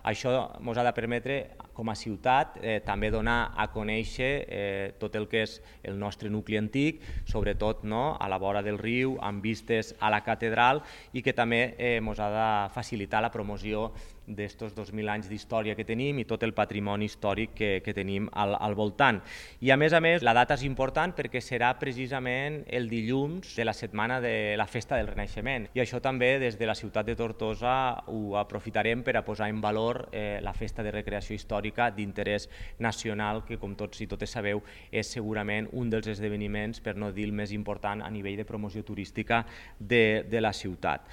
Això ens ha de permetre, com a ciutat, també donar a conèixer tot el que és el nostre nucli antic, sobretot a la vora del riu, amb vistes a la catedral, i que també ens ha de facilitar la promoció d'estos 2.000 anys d'història que tenim i tot el patrimoni històric que tenim al voltant. I a més, la data és important perquè serà precisament el dilluns de la setmana de la Festa del Renaixement, i això també des de la ciutat de Tortosa ho aprofitarem per a posar en valor la Festa de Recreació Històrica d'interès nacional, que com tots i totes sabeu és segurament un dels esdeveniments, per no dir el més important, a nivell de promoció turística de la ciutat.